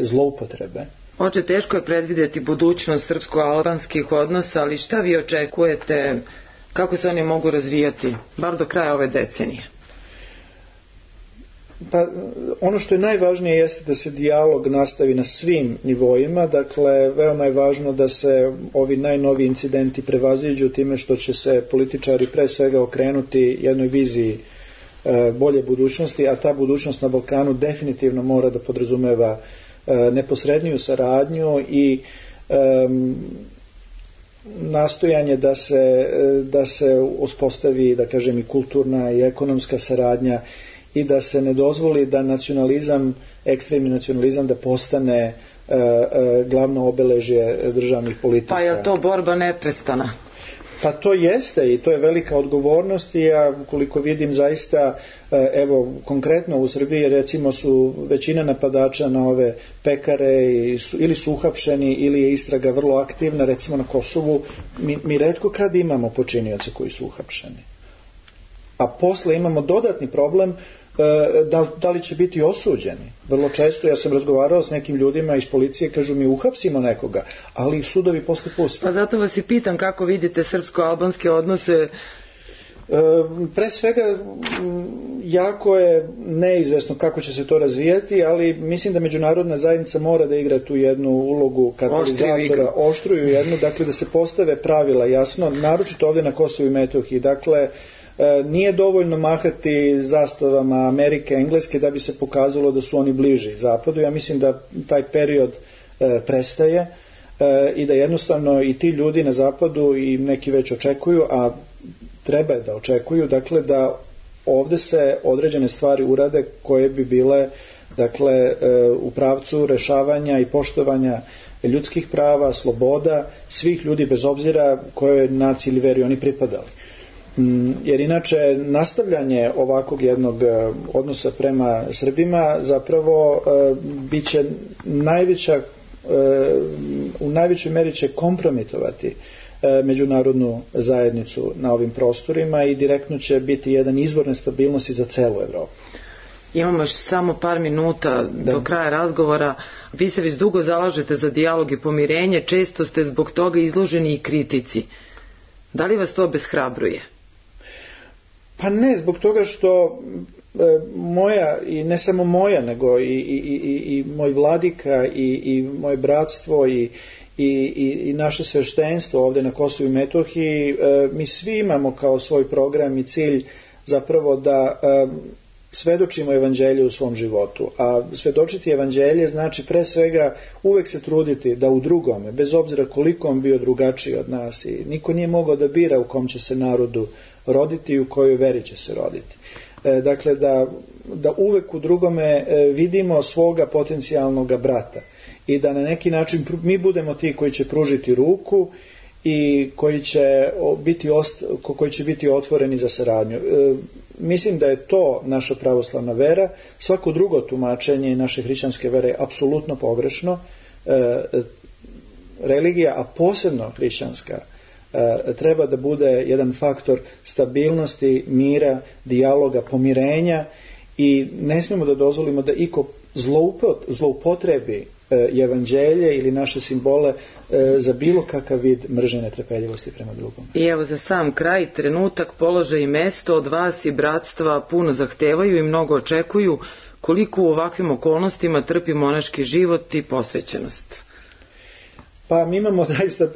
B: zloupotrebe.
A: Oče, teško je predvidjeti budućnost srpsko-albanskih odnosa, ali šta vi očekujete, kako se oni mogu razvijati, bar do kraja ove decenije?
B: Pa, ono što je najvažnije jeste da se dijalog nastavi na svim nivoima, dakle veoma je važno da se ovi najnoviji incidenti prevaziđu time što će se političari pre svega okrenuti jednoj viziji bolje budućnosti, a ta budućnost na Balkanu definitivno mora da podrazumeva neposredniju saradnju i nastojanje da se uspostavi, da kažem, i kulturna i ekonomska saradnja i da se ne dozvoli da nacionalizam, ekstremni nacionalizam da postane glavno obeležje državnih politika.
A: Pa je to borba neprestana?
B: Pa to jeste i to je velika odgovornost i ja koliko vidim zaista, evo konkretno u Srbiji recimo su većina napadača na ove pekare ili su uhapšeni ili je istraga vrlo aktivna, recimo na Kosovu mi retko kad imamo počinioce koji su uhapšeni. A posle imamo dodatni problem da li će biti osuđeni. Vrlo često ja sam razgovarao s nekim ljudima iz policije, kažu mi uhapsimo nekoga, ali sudovi posle puste.
A: Pa zato vas i pitam kako vidite srpsko-albanske odnose.
B: Pre svega jako je neizvesno kako će se to razvijati, ali mislim da međunarodna zajednica mora da igra tu jednu ulogu katalizatora, oštruju jednu, dakle da se postave pravila jasno, naročito ovdje na Kosovu i Metohiji. Dakle, nije dovoljno mahati zastavama Amerike, Engleske da bi se pokazalo da su oni bliži zapadu. Ja mislim da taj period prestaje i da jednostavno i ti ljudi na zapadu i neki već očekuju, a treba da očekuju, dakle da ovdje se određene stvari urade koje bi bile dakle u pravcu rešavanja i poštovanja ljudskih prava, sloboda svih ljudi bez obzira kojoj naciji ili veri oni pripadali. Jer inače nastavljanje ovakvog jednog odnosa prema Srbima zapravo bit će u najvećoj meri će kompromitovati međunarodnu zajednicu na ovim prostorima i direktno će biti jedan izvor nestabilnosti za celu Evropu.
A: Imamo još samo par minuta do kraja razgovora. Vi se već dugo zalažete za dijalog i pomirenje, često ste zbog toga izloženi i kritici. Da li vas to obeshrabruje?
B: Pa ne, zbog toga što moja, i ne samo moja, nego i moj vladika i moje bratstvo i naše sveštenstvo ovdje na Kosovu i Metohiji, mi svi imamo kao svoj program i cilj zapravo da svedočimo evanđelje u svom životu. A svedočiti evanđelje znači pre svega uvek se truditi da u drugome, bez obzira koliko on bio drugačiji od nas, i niko nije mogao da bira u kom će se narodu roditi i u kojoj veri će se roditi. Dakle, da uvek u drugome vidimo svoga potencijalnog brata i da na neki način mi budemo ti koji će pružiti ruku i koji će biti otvoreni za saradnju. Mislim da je to naša pravoslavna vera. Svako drugo tumačenje naše hrišćanske vere je apsolutno pogrešno. Religija, a posebno hrišćanska, treba da bude jedan faktor stabilnosti, mira, dijaloga, pomirenja, i ne smijemo da dozvolimo da iko zloupotrebi evanđelje ili naše simbole za bilo kakav vid mržnje, netrpeljivosti prema drugom. I
A: evo za sam kraj, trenutak, položaj i mesto od vas i bratstva puno zahtevaju i mnogo očekuju. Koliko u ovakvim okolnostima trpi monaški život i posvećenost?
B: Pa mi imamo zaista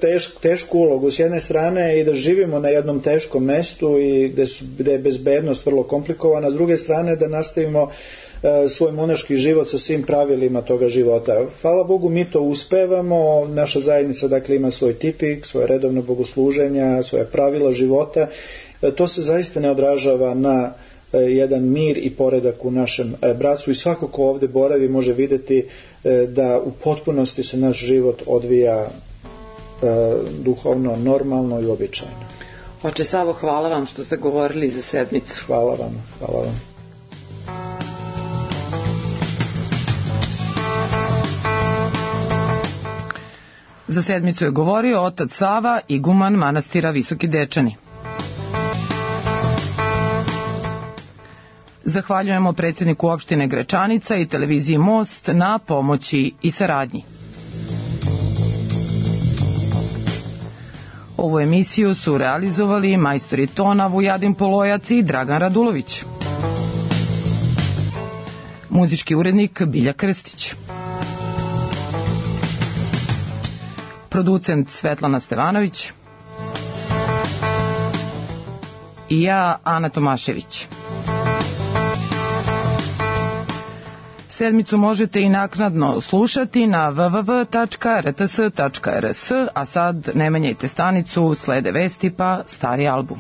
B: tešku ulogu. S jedne strane i da živimo na jednom teškom mestu i gde je bezbednost vrlo komplikovana, s druge strane da nastavimo svoj monaški život sa svim pravilima toga života. Hvala Bogu, mi to uspevamo. Naša zajednica dakle ima svoj tipik, svoje redovno bogosluženja, svoje pravila života. To se zaista ne odražava na jedan mir i poredak u našem bratstvu, i svako ko ovdje boravi može vidjeti da u potpunosti se naš život odvija duhovno, normalno i običajno.
A: Oče Savo, hvala vam što ste govorili za sedmicu.
B: Hvala vam, hvala vam.
A: Za sedmicu je govorio otac Sava, iguman manastira Visoki Dečani. Zahvaljujemo predsjedniku opštine Grečanica i televiziji Most na pomoći i saradnji. Ovu emisiju su realizovali majstori tona Vujadin Polojac i Dragan Radulović. Muzički urednik Bilja Krstić. Producent Svetlana Stevanović. I ja, Ana Tomašević. Sedmicu možete i naknadno slušati na www.rts.rs, a sad ne menjajte stanicu, slede vesti pa stari album.